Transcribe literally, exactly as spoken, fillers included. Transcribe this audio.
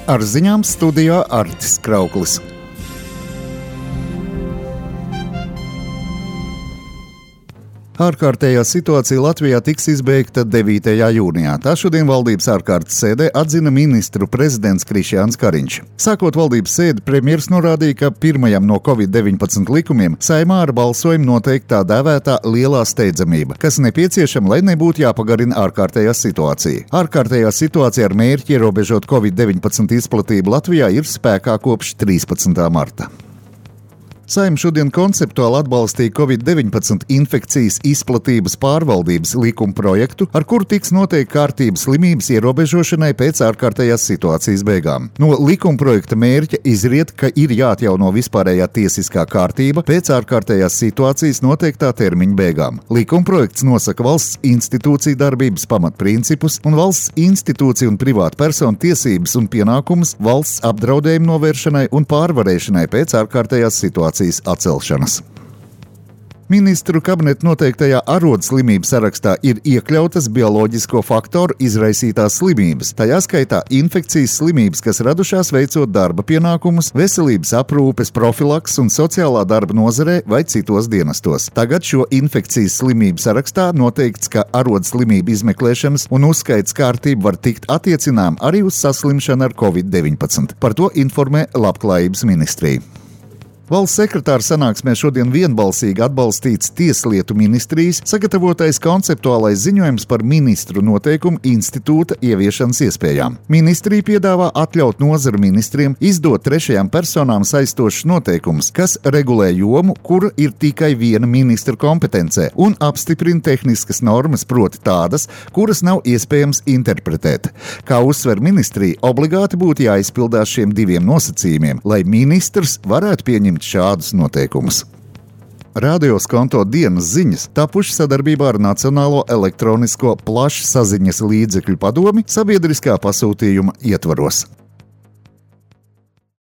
Ar ziņām studijā Artis Krauklis. Ārkārtējā situācija Latvijā tiks izbeigta devītajā jūnijā. Tā šodien valdības ārkārtas sēdē atzina ministru prezidents Krišjāns Kariņš. Sākot valdības sēdi, premjers norādīja, ka pirmajam no covid deviņpadsmit likumiem Saeimā ar balsojumu noteikti tā dēvētā lielā steidzamība, kas nepieciešama, lai nebūtu jāpagarina ārkārtējā situācija. Ārkārtējā situācija ar mērķi ierobežot covid deviņpadsmit izplatību Latvijā ir spēkā kopš trīspadsmitā marta. Saeima šodien konceptuāli atbalstīja covid deviņpadsmit infekcijas izplatības pārvaldības likuma projektu, ar kuru tiks noteikta kārtība slimības ierobežošanai pēc ārkārtējās situācijas beigām. No likuma projekta mērķa izriet, ka ir jāatjauno vispārējā tiesiskā kārtība pēc ārkārtējās situācijas noteiktā termiņa beigām. Likuma projekts nosaka valsts institūciju darbības pamatprincipus un valsts institūciju un privātu personu tiesības un pienākumus valsts apdraudējumu novēršanai un pārvarēšanai pēc ārkārtējās situācijas atcelšanas. Ministru kabineta noteiktajā arodslimību sarakstā ir iekļautas bioloģisko faktoru izraisītās slimības, tajā skaitā infekcijas slimības, kas radušās veicot darba pienākumus, veselības aprūpes, profilaks un sociālā darba nozarē vai citos dienestos. Tagad šo infekcijas slimību sarakstā noteikts, ka arodslimību izmeklēšanas un uzskaits kārtība var tikt attiecinām arī uz saslimšanu ar covid deviņpadsmit. Par to informē Labklājības ministrija. Valsts sekretāra sanāksmē šodien vienbalsīgi atbalstīts Tieslietu ministrijas sagatavotais konceptuālais ziņojums par ministru noteikumu institūta ieviešanas iespējām. Ministrija piedāvā atļaut nozaru ministriem izdot trešajām personām saistošus noteikumus, kas regulē jomu, kura ir tikai viena ministra kompetencē, un apstiprina tehniskas normas, proti tādas, kuras nav iespējams interpretēt. Kā uzsver ministrija, obligāti būtu jāizpildās šiem diviem nosacījumiem, lai ministrs varētu pieņemt šādus noteikumus. Radio Skonto dienas ziņas tapuši sadarbībā ar Nacionālo elektronisko plašsaziņas līdzekļu padomi sabiedriskā pasūtījuma ietvaros.